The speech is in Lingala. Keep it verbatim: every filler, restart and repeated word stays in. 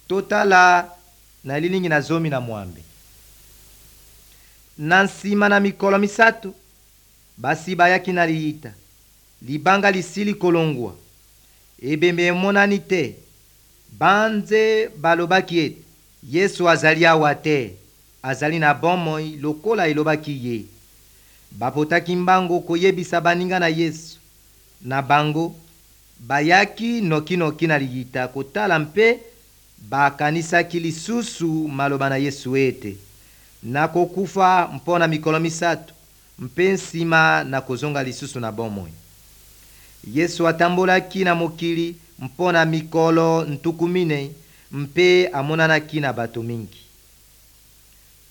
Totala na elilingi na zomi na mwambe. Na nsima na mikolo misato, basi bayaki na liyita. Libanga lisili kolongwa, ebembe emonani te. Banze balobaki ete Yesu azali awa te, azali na bomoi lokola elobaki ye. Bapotaki mbango koyebisa baninga na Yesu. Na bango bayaki nokinoki na liyita kotala mpe bakanisaki lisusu maloba na Yesu ete: nakokufa mpo na mikolo misato mpe nsima nakozonga lisusu na bomoi. Yesu atambolaki na mokili mpo na mikolo ntuku minei mpe amonanaki na bato mingi.